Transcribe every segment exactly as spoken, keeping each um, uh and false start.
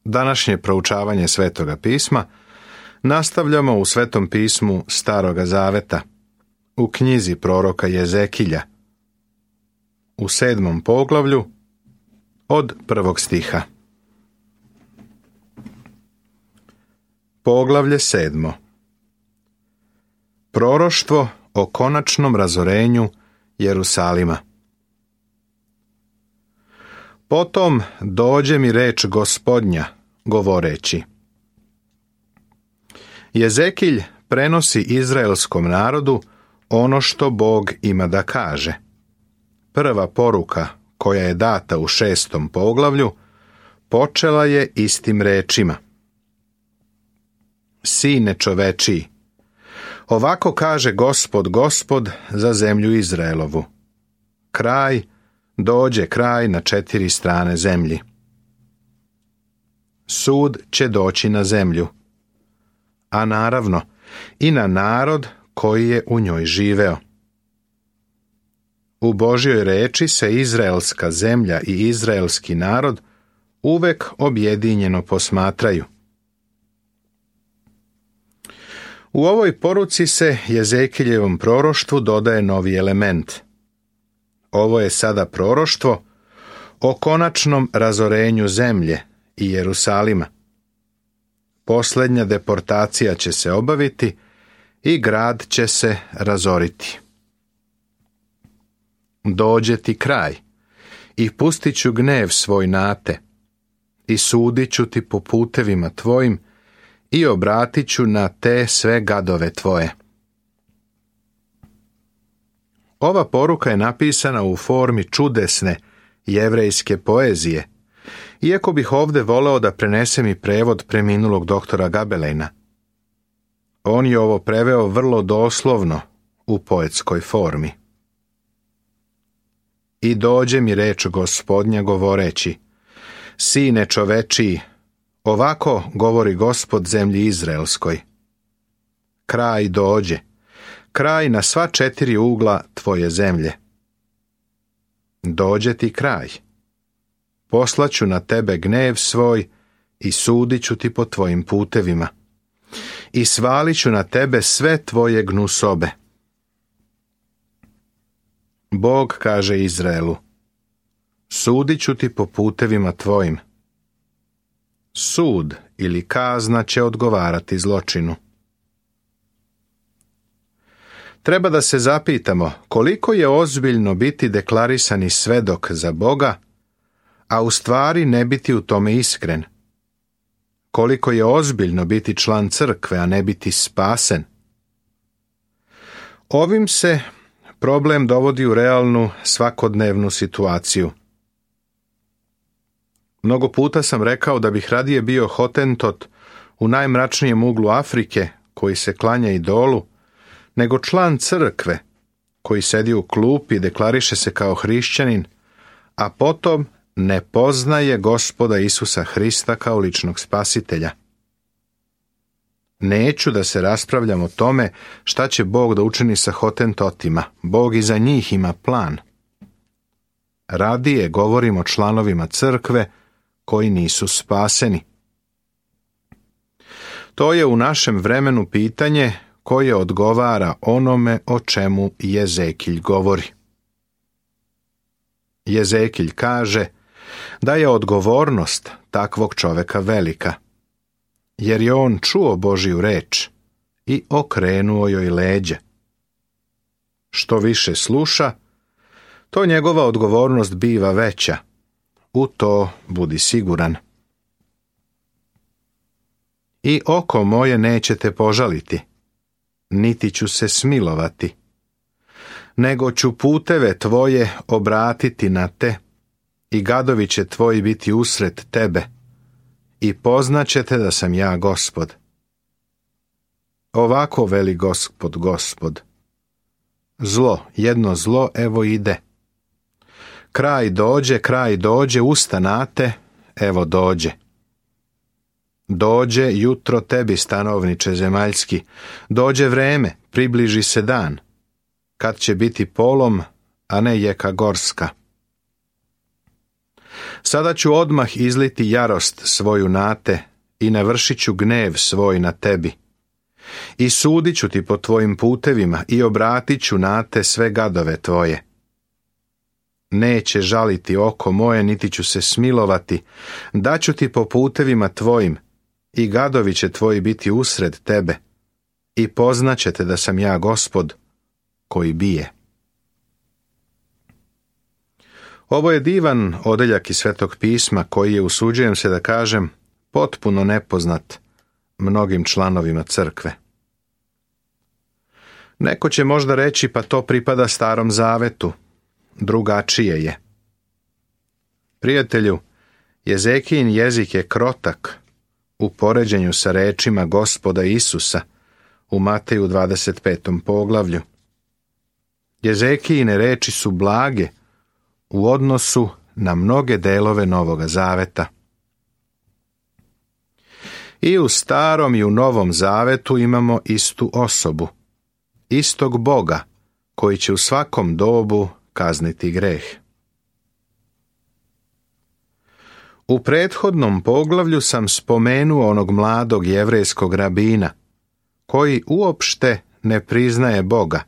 Današnje proučavanje Svetoga pisma nastavljamo u Svetom pismu Staroga zaveta, u knjizi proroka Jezekilja, u sedmom poglavlju, od prvog stiha. Poglavlje sedmo. Proroštvo o konačnom razorenju Jerusalima. Potom dođe mi reč Gospodnja, govoreći: Jezekilj prenosi izraelskom narodu ono što Bog ima da kaže. Prva poruka, koja je data u šestom poglavlju, počela je istim rečima: Sine čovečiji, ovako kaže Gospod, Gospod za zemlju Izraelovu. Kraj, dođe kraj na četiri strane zemlji. Sud će doći na zemlju, a naravno i na narod koji je u njoj živeo. U Božjoj reči se izraelska zemlja i izraelski narod uvek objedinjeno posmatraju. U ovoj poruci se Jezekiljevom proroštvu dodaje novi element. Ovo je sada proroštvo o konačnom razorenju zemlje i Jerusalima. Posljednja deportacija će se obaviti i grad će se razoriti. Dođe ti kraj i pustit ću gnev svoj na te i sudit ću ti po putevima tvojim i obratit ću na te sve gadove tvoje. Ova poruka je napisana u formi čudesne jevrejske poezije, iako bih ovdje voleo da prenesem i prevod preminulog doktora Gabelejna. On je ovo preveo vrlo doslovno u poetskoj formi. I dođe mi reč Gospodnja govoreći: Sine čovečiji, ovako govori Gospod zemlji Izraelskoj. Kraj dođe, kraj na sva četiri ugla tvoje zemlje. Dođe ti kraj. Poslaću na tebe gnev svoj i sudit ću ti po tvojim putevima. I svalit ću na tebe sve tvoje gnusobe. Bog kaže Izraelu: Sudit ću ti po putevima tvojim. Sud ili kazna će odgovarati zločinu. Treba da se zapitamo koliko je ozbiljno biti deklarisani svedok za Boga, a u stvari ne biti u tome iskren. Koliko je ozbiljno biti član crkve, a ne biti spasen. Ovim se problem dovodi u realnu svakodnevnu situaciju. Mnogo puta sam rekao da bih radije bio hotentot u najmračnijem uglu Afrike, koji se klanja idolu, nego član crkve, koji sedi u klupi i deklariše se kao hrišćanin, a potom ne poznaje Gospoda Isusa Hrista kao ličnog spasitelja. Neću da se raspravljam o tome šta će Bog da učini sa hotentotima. Bog i za njih ima plan. Radije govorim o članovima crkve koji nisu spaseni. To je u našem vremenu pitanje koje odgovara onome o čemu Jezekilj govori. Jezekilj kaže da je odgovornost takvog čoveka velika, jer je on čuo Božju reč i okrenuo joj leđa. Što više sluša, to njegova odgovornost biva veća. U to budi siguran. I oko moje nećete požaliti, niti ću se smilovati, nego ću puteve tvoje obratiti na te i gadovi će tvoji biti usred tebe i poznaćete da sam ja Gospod. Ovako veli Gospod, Gospod. Zlo, jedno zlo, evo ide. Kraj dođe, kraj dođe, ustanate, evo dođe. Dođe jutro tebi, stanovniče zemaljski, dođe vreme, približi se dan, kad će biti polom, a ne jeka gorska. Sada ću odmah izliti jarost svoju na te i navršit ću gnev svoj na tebi. I sudit ću ti po tvojim putevima i obratit ću na te sve gadove tvoje. Neće žaliti oko moje, niti ću se smilovati, daću ti po putevima tvojim i gadovi će tvoji biti usred tebe i poznaćete da sam ja Gospod koji bije. Ovo je divan odeljak iz Svetog pisma koji je, usuđujem se da kažem, potpuno nepoznat mnogim članovima crkve. Neko će možda reći, pa to pripada Starom zavetu, drugačije je. Prijatelju, Jezekijin jezik je krotak u poređenju sa rečima Gospoda Isusa u Mateju dvadeset petom poglavlju. Jezekijine reči su blage u odnosu na mnoge delove Novoga zaveta. I u Starom i u Novom zavetu imamo istu osobu, istog Boga koji će u svakom dobu kazniti greh. U prethodnom poglavlju sam spomenuo onog mladog jevrejskog rabina koji uopšte ne priznaje Boga,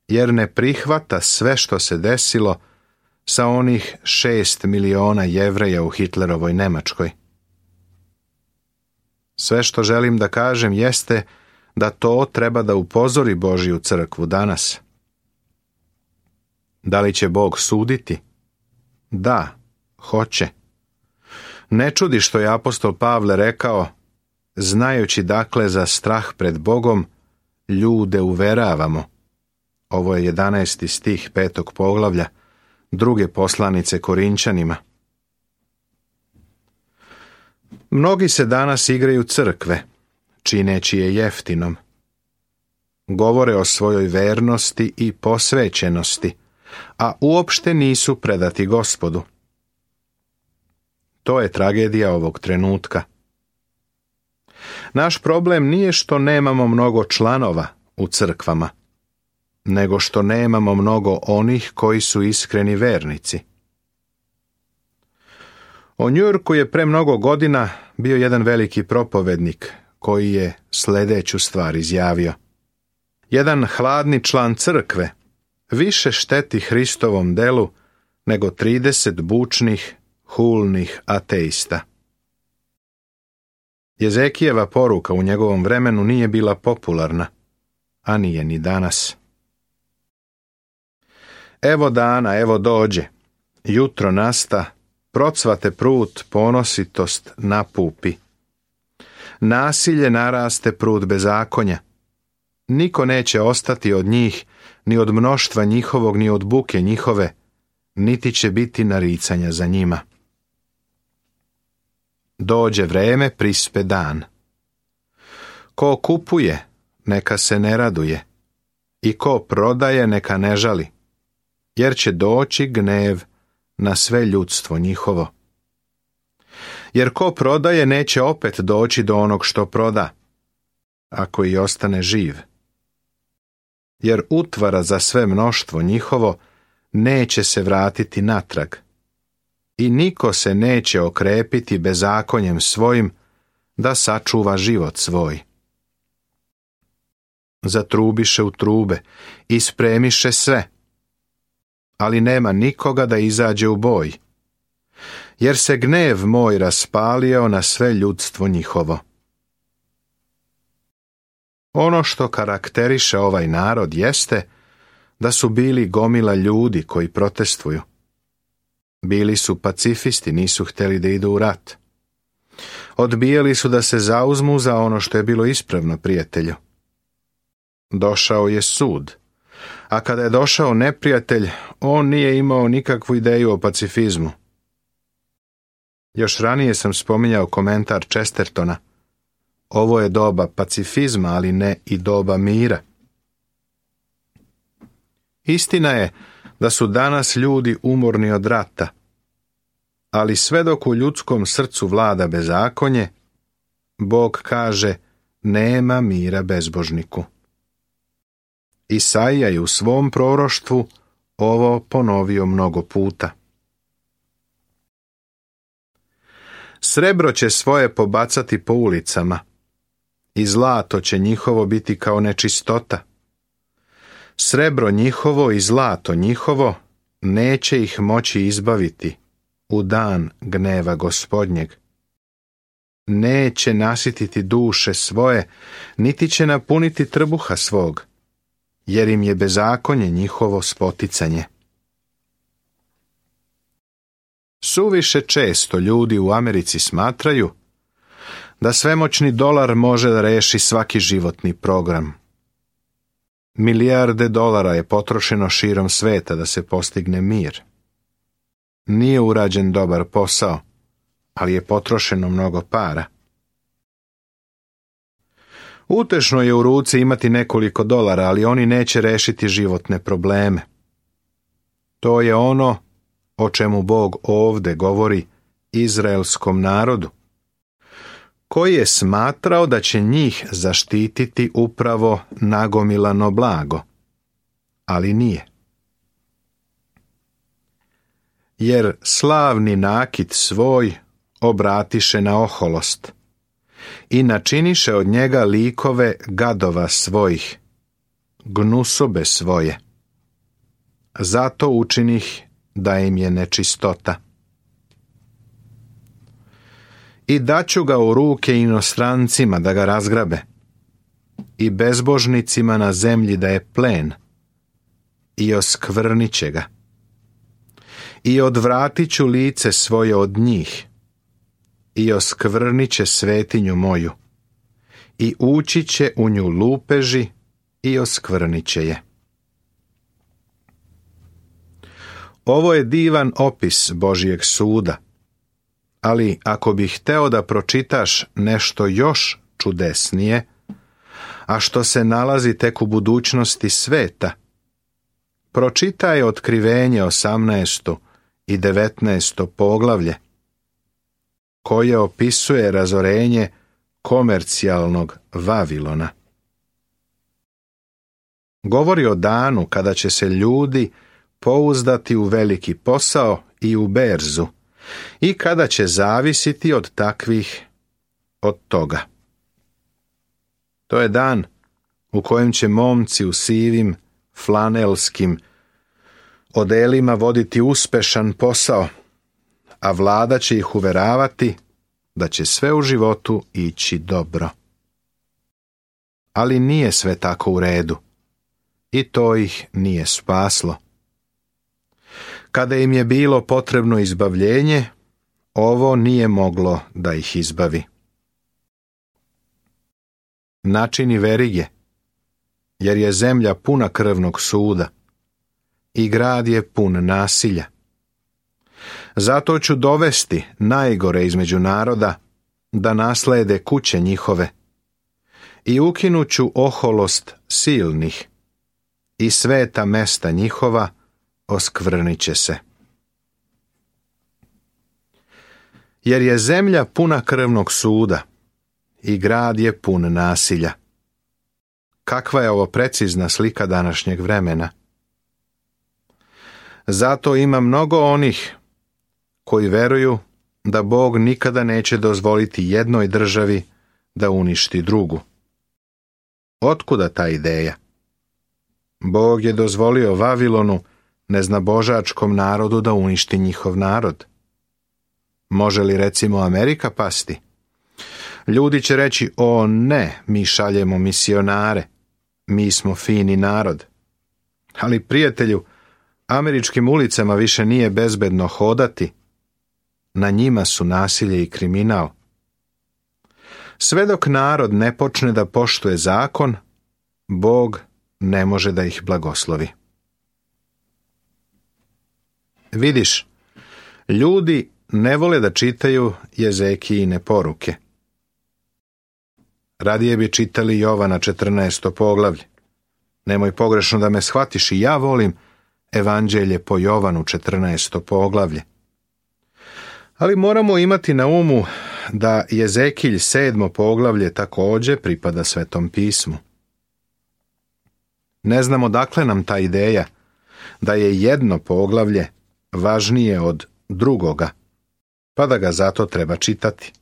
jer ne prihvata sve što se desilo sa onih šest miliona Jevreja u Hitlerovoj Nemačkoj. Sve što želim da kažem jeste da to treba da upozori Božju crkvu danas. Da li će Bog suditi? Da, hoće. Ne čudi što je apostol Pavle rekao, znajući dakle za strah pred Bogom, ljude uveravamo. Ovo je jedanaesti stih petog poglavlja druge poslanice Korinčanima. Mnogi se danas igraju crkve, čineći je jeftinom. Govore o svojoj vernosti i posvećenosti, a uopšte nisu predati Gospodu. To je tragedija ovog trenutka. Naš problem nije što nemamo mnogo članova u crkvama, nego što nemamo mnogo onih koji su iskreni vernici. O Njujorku je pre mnogo godina bio jedan veliki propovednik koji je sljedeću stvar izjavio. Jedan hladni član crkve više šteti Hristovom delu nego trideset bučnih, hulnih ateista. Jezekijeva poruka u njegovom vremenu nije bila popularna, a nije ni danas. Evo dana, evo dođe, jutro nasta, procvate prut, ponositost napupi. Nasilje naraste prut bezakonja. Niko neće ostati od njih, ni od mnoštva njihovog, ni od buke njihove, niti će biti naricanja za njima. Dođe vreme, prispe dan. Ko kupuje, neka se ne raduje, i ko prodaje, neka ne žali, jer će doći gnev na sve ljudstvo njihovo. Jer ko prodaje, neće opet doći do onog što proda, ako i ostane živ. Jer utvara za sve mnoštvo njihovo neće se vratiti natrag, i niko se neće okrepiti bezakonjem svojim da sačuva život svoj. Zatrubiše u trube i spremiše sve, ali nema nikoga da izađe u boj, jer se gnev moj raspalio na sve ljudstvo njihovo. Ono što karakteriše ovaj narod jeste da su bili gomila ljudi koji protestuju. Bili su pacifisti, nisu htjeli da idu u rat. Odbijali su da se zauzmu za ono što je bilo ispravno, prijatelju. Došao je sud, a kada je došao neprijatelj, on nije imao nikakvu ideju o pacifizmu. Još ranije sam spominjao komentar Chestertona. Ovo je doba pacifizma, ali ne i doba mira. Istina je da su danas ljudi umorni od rata, ali sve dok u ljudskom srcu vlada bezakonje, Bog kaže, nema mira bezbožniku. Isaija je u svom proroštvu ovo ponovio mnogo puta. Srebro će svoje pobacati po ulicama i zlato će njihovo biti kao nečistota. Srebro njihovo i zlato njihovo neće ih moći izbaviti u dan gneva Gospodnjeg. Neće nasititi duše svoje, niti će napuniti trbuha svog, jer im je bezakonje njihovo spoticanje. Suviše često ljudi u Americi smatraju da svemoćni dolar može da reši svaki životni program. Milijarde dolara je potrošeno širom sveta da se postigne mir. Nije urađen dobar posao, ali je potrošeno mnogo para. Utešno je u ruci imati nekoliko dolara, ali oni neće rešiti životne probleme. To je ono o čemu Bog ovde govori izraelskom narodu, koji je smatrao da će njih zaštititi upravo nagomilano blago, ali nije. Jer slavni nakit svoj obratiše na oholost i načiniše od njega likove gadova svojih, gnusobe svoje. Zato učinih da im je nečistota. I daću ga u ruke inostrancima da ga razgrabe, i bezbožnicima na zemlji da je plen, i oskvrnit će ga. I odvratit ću lice svoje od njih, i oskvrnit će svetinju moju, i ući će u nju lupeži i oskvrnit će je. Ovo je divan opis Božijeg suda, ali ako bih hteo da pročitaš nešto još čudesnije, a što se nalazi tek u budućnosti sveta, pročitaj Otkrivenje osamnaesto i devetnaesto poglavlje, koje opisuje razorenje komercijalnog Vavilona. Govori o danu kada će se ljudi pouzdati u veliki posao i u berzu, i kada će zavisiti od takvih od toga. To je dan u kojem će momci u sivim, flanelskim odelima voditi uspešan posao, a vlada će ih uveravati da će sve u životu ići dobro. Ali nije sve tako u redu, i to ih nije spaslo. Kada im je bilo potrebno izbavljenje, ovo nije moglo da ih izbavi. Načini verige, jer je zemlja puna krvnog suda i grad je pun nasilja. Zato ću dovesti najgore između naroda da naslede kuće njihove i ukinuću oholost silnih i sveta mesta njihova oskvrnit će se. Jer je zemlja puna krvnog suda i grad je pun nasilja. Kakva je ovo precizna slika današnjeg vremena? Zato ima mnogo onih koji veruju da Bog nikada neće dozvoliti jednoj državi da uništi drugu. Otkuda ta ideja? Bog je dozvolio Vavilonu, neznabožačkom narodu, da uništi njihov narod. Može li recimo Amerika pasti? Ljudi će reći, o ne, mi šaljemo misionare, mi smo fini narod. Ali prijatelju, američkim ulicama više nije bezbedno hodati, na njima su nasilje i kriminal. Sve dok narod ne počne da poštuje zakon, Bog ne može da ih blagoslovi. Vidiš, ljudi ne vole da čitaju Jezekijine poruke. Radije bi čitali Jovana četrnaesto poglavlje. Nemoj pogrešno da me shvatiš, i ja volim Evanđelje po Jovanu četrnaesto poglavlje. Ali moramo imati na umu da Jezekilj sedmo poglavlje također pripada Svetom pismu. Ne znamo dakle nam ta ideja da je jedno poglavlje važnije od drugoga, pa da ga zato treba čitati.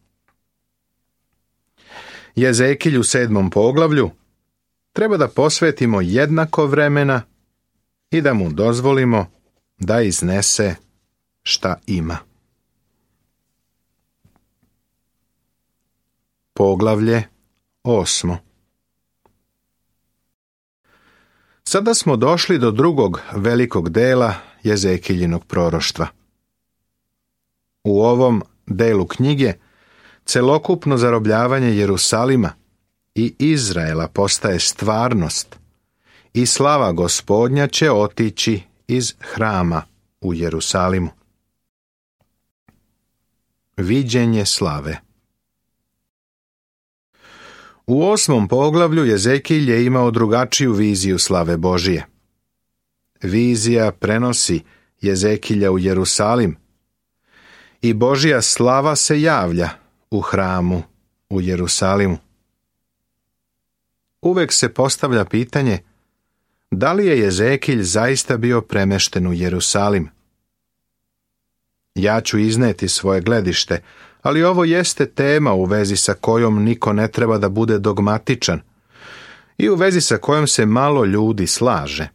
Jezekilju sedmom poglavlju treba da posvetimo jednako vremena i da mu dozvolimo da iznese šta ima. Poglavlje osmo. Sada smo došli do drugog velikog dela Jezekiljinog proroštva. U ovom delu knjige celokupno zarobljavanje Jerusalima i Izraela postaje stvarnost i slava Gospodnja će otići iz hrama u Jerusalimu. Viđenje slave. U osmom poglavlju Jezekilj je imao drugačiju viziju slave Božije. Vizija prenosi Jezekilja u Jerusalim i Božja slava se javlja u hramu u Jerusalimu. Uvek se postavlja pitanje da li je Jezekilj zaista bio premešten u Jerusalim. Ja ću izneti svoje gledište, ali ovo jeste tema u vezi sa kojom niko ne treba da bude dogmatičan i u vezi sa kojom se malo ljudi slaže.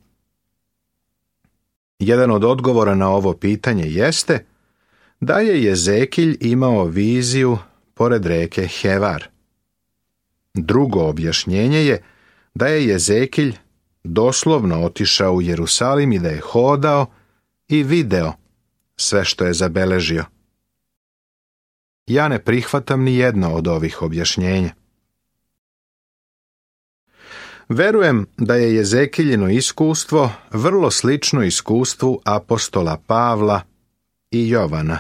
Jedan od odgovora na ovo pitanje jeste da je Jezekilj imao viziju pored reke Hevar. Drugo objašnjenje je da je Jezekilj doslovno otišao u Jerusalim i da je hodao i video sve što je zabeležio. Ja ne prihvatam ni jedno od ovih objašnjenja. Verujem da je Jezekiljino iskustvo vrlo slično iskustvu apostola Pavla i Jovana.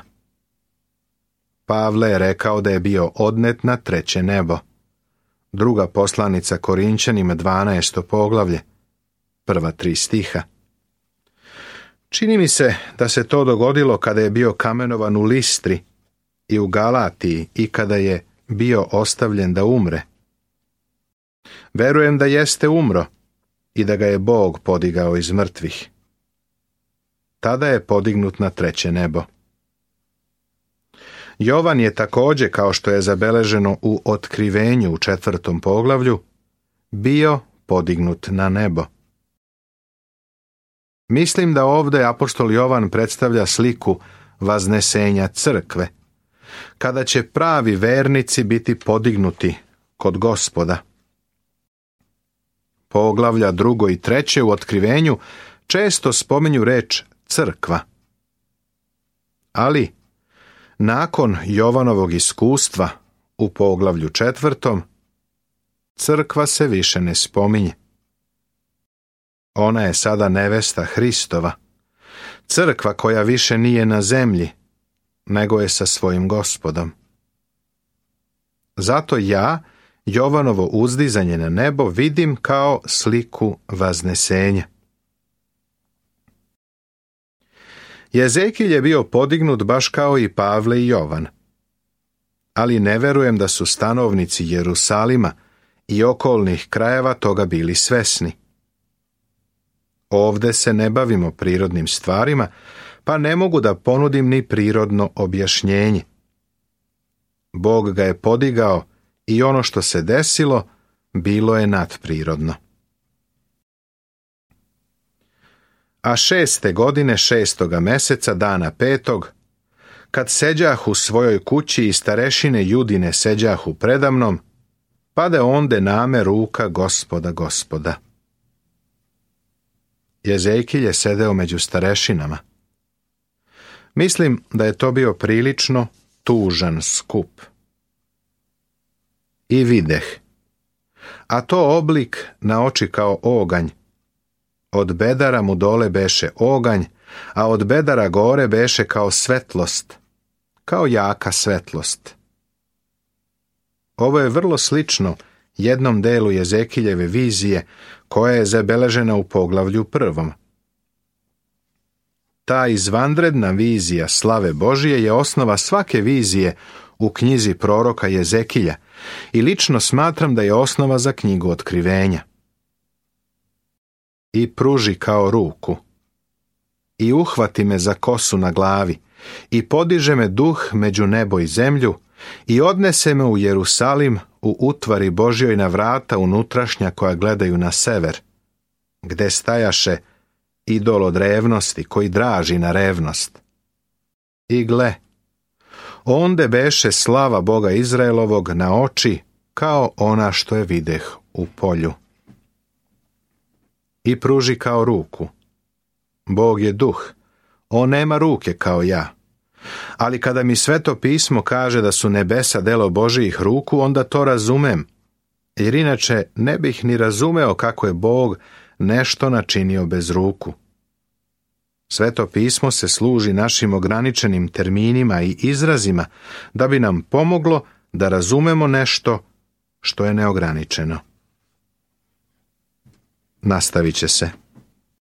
Pavle je rekao da je bio odnet na treće nebo. Druga poslanica Korinćanima dvanaesto poglavlje, prva tri stiha. Čini mi se da se to dogodilo kada je bio kamenovan u Listri i u Galatiji i kada je bio ostavljen da umre. Verujem da jeste umro i da ga je Bog podigao iz mrtvih. Tada je podignut na treće nebo. Jovan je također, kao što je zabeleženo u Otkrivenju u četvrtom poglavlju, bio podignut na nebo. Mislim da ovdje apostol Jovan predstavlja sliku vaznesenja crkve, kada će pravi vernici biti podignuti kod Gospoda. Poglavlja drugo i treće u Otkrivenju često spominju reč crkva. Ali, nakon Jovanovog iskustva u poglavlju četvrtom, crkva se više ne spominje. Ona je sada nevesta Hristova, crkva koja više nije na zemlji, nego je sa svojim Gospodom. Zato ja Jovanovo uzdizanje na nebo vidim kao sliku vaznesenja. Jezekilj je bio podignut baš kao i Pavle i Jovan, ali ne verujem da su stanovnici Jerusalima i okolnih krajeva toga bili svesni. Ovde se ne bavimo prirodnim stvarima, pa ne mogu da ponudim ni prirodno objašnjenje. Bog ga je podigao i ono što se desilo bilo je nadprirodno. A šeste godine šestoga meseca, dana petog, kad seđah u svojoj kući i starešine Judine seđahu predamnom, pade onde name ruka Gospoda Gospoda. Jezekilj je sedeo među starešinama. Mislim da je to bio prilično tužan skup. I videh, a to oblik na oči kao oganj. Od bedara mu dole beše oganj, a od bedara gore beše kao svetlost, kao jaka svetlost. Ovo je vrlo slično jednom delu Jezekiljeve vizije koja je zabeležena u poglavlju prvom. Ta izvanredna vizija slave Božije je osnova svake vizije u knjizi proroka Jezekilja i lično smatram da je osnova za knjigu Otkrivenja. I pruži kao ruku. i uhvati me za kosu na glavi i podiže me duh među nebo i zemlju i odnese me u Jerusalim u utvari Božjoj na vrata unutrašnja koja gledaju na sever, gde stajaše idol od revnosti koji draži na revnost. I gle, onde beše slava Boga Izraelovog na oči kao ona što je videh u polju. I pruži kao ruku. Bog je duh, on nema ruke kao ja. Ali kada mi Sveto pismo kaže da su nebesa delo Božijih ruku, onda to razumem, jer inače ne bih ni razumeo kako je Bog nešto načinio bez ruku. Sveto pismo se služi našim ograničenim terminima i izrazima da bi nam pomoglo da razumemo nešto što je neograničeno. Nastavit će se.